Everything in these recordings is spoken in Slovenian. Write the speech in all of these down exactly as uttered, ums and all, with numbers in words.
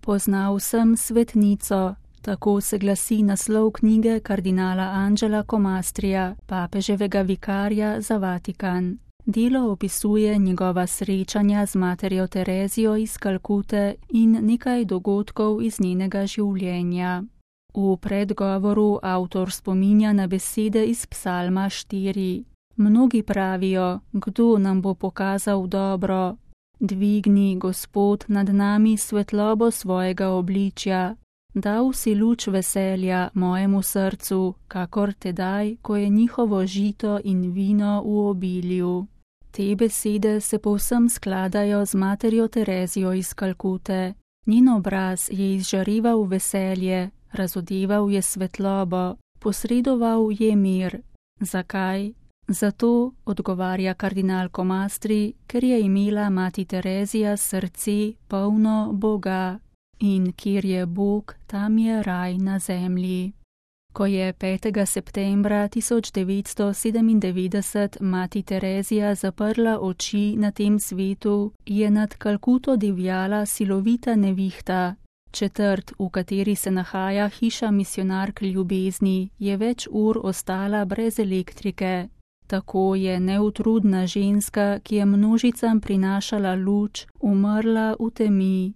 Poznal sem svetnico, tako se glasi naslov knjige kardinala Angela Comastrija, papeževega vikarja za Vatikan. Delo opisuje njegova srečanja z materjo Terezijo iz Kalkute in nekaj dogodkov iz njenega življenja. V predgovoru avtor spominja na besede iz Psalma štiri. Mnogi pravijo, kdo nam bo pokazal dobro. Dvigni, Gospod, nad nami svetlobo svojega obličja. Dal si luč veselja mojemu srcu, kakor tedaj, ko je njihovo žito in vino v obilju. Te besede se povsem skladajo z materjo Terezijo iz Kalkute. Njen obraz je izžareval veselje, razodeval je svetlobo, posredoval je mir. Zakaj? Zato, odgovarja kardinal Comastri, ker je imela mati Terezija srce polno Boga. In kjer je Bog, tam je raj na zemlji. Ko je petega septembra tisoč devetsto sedemindevetdeset mati Terezija zaprla oči na tem svetu, je nad Kalkuto divjala silovita nevihta. Četrt, v kateri se nahaja hiša misijonark ljubezni, je več ur ostala brez elektrike. Tako je neutrudna ženska, ki je množicam prinašala luč, umrla v temi.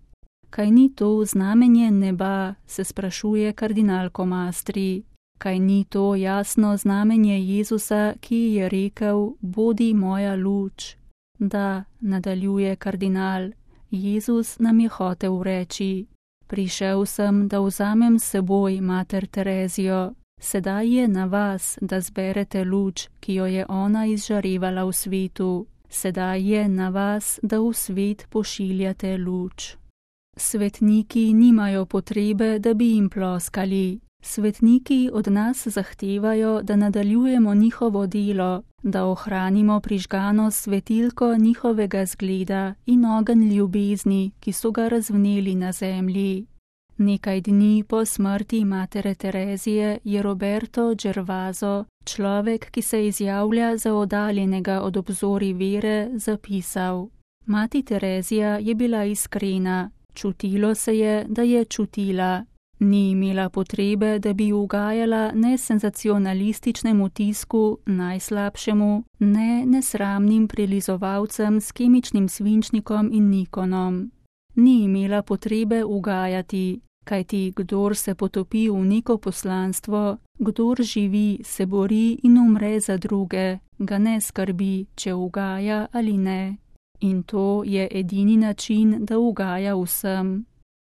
Kaj ni to znamenje neba, se sprašuje kardinal Comastri. Kaj ni to jasno znamenje Jezusa, ki je rekel, bodi moja luč? Da, nadaljuje kardinal, Jezus nam je hotel reči. Prišel sem, da vzamem s seboj mater Terezijo. Sedaj je na vas, da zberete luč, ki jo je ona izžarevala v svetu. Sedaj je na vas, da v svet pošiljate luč. Svetniki nimajo potrebe, da bi jim ploskali. Svetniki od nas zahtevajo, da nadaljujemo njihovo delo, da ohranimo prižgano svetilko njihovega zgleda in ogenj ljubezni, ki so ga razvneli na zemlji. Nekaj dni po smrti matere Terezije je Roberto Gervaso, človek, ki se izjavlja za oddaljenega od obzorij vere, zapisal: Mati Terezija je bila iskrena, čutilo se je, da je čutila. Ni imela potrebe, da bi ugajala ne senzacionalističnemu tisku, najslabšemu, ne nesramnim prilizovalcem s kemičnim svinčnikom in Nikonom. Ni imela potrebe ugajati, kajti kdor se potopi v neko poslanstvo, kdor živi, se bori in umre za druge, ga ne skrbi, če ugaja ali ne. In to je edini način, da ugaja vsem.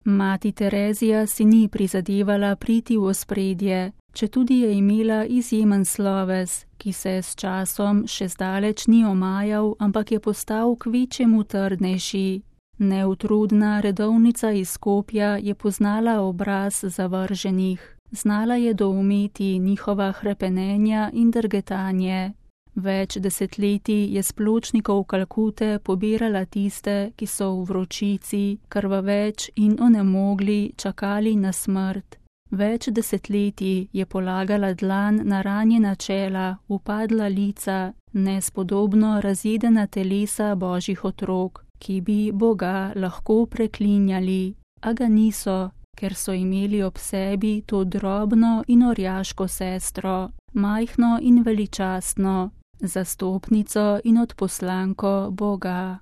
Mati Terezija si ni prizadevala priti v ospredje, četudi je imela izjemen sloves, ki se s časom še zdaleč ni omajal, ampak je postal kvečjemu trdnejši. Neutrudna redovnica iz Skopja je poznala obraz zavrženih, znala je doumeti njihova hrepenenja in drgetanje. Več desetletij je s pločnikov Kalkute pobirala tiste, ki so v vročici, krvaveč in onemogli čakali na smrt. Več desetletij je polagala dlan na ranjena čela, upadla lica, nespodobno razjedena telesa božjih otrok, ki bi Boga lahko preklinjali, a ga niso, ker so imeli ob sebi to drobno in orjaško sestro, majhno in veličastno, zastopnico in odposlanko Boga.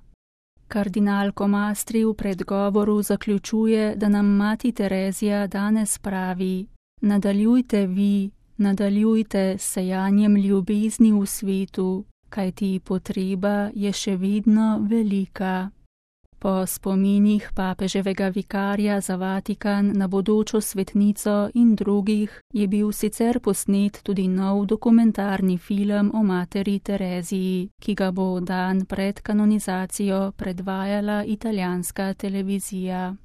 Kardinal Comastri v predgovoru zaključuje, da nam mati Terezija danes pravi: nadaljujte vi, nadaljujte s sejanjem ljubezni v svetu, kajti potreba je še vedno velika. Po spominih papeževega vikarja za Vatikan na bodočo svetnico in drugih je bil sicer posnet tudi nov dokumentarni film o materi Tereziji, ki ga bo dan pred kanonizacijo predvajala italijanska televizija.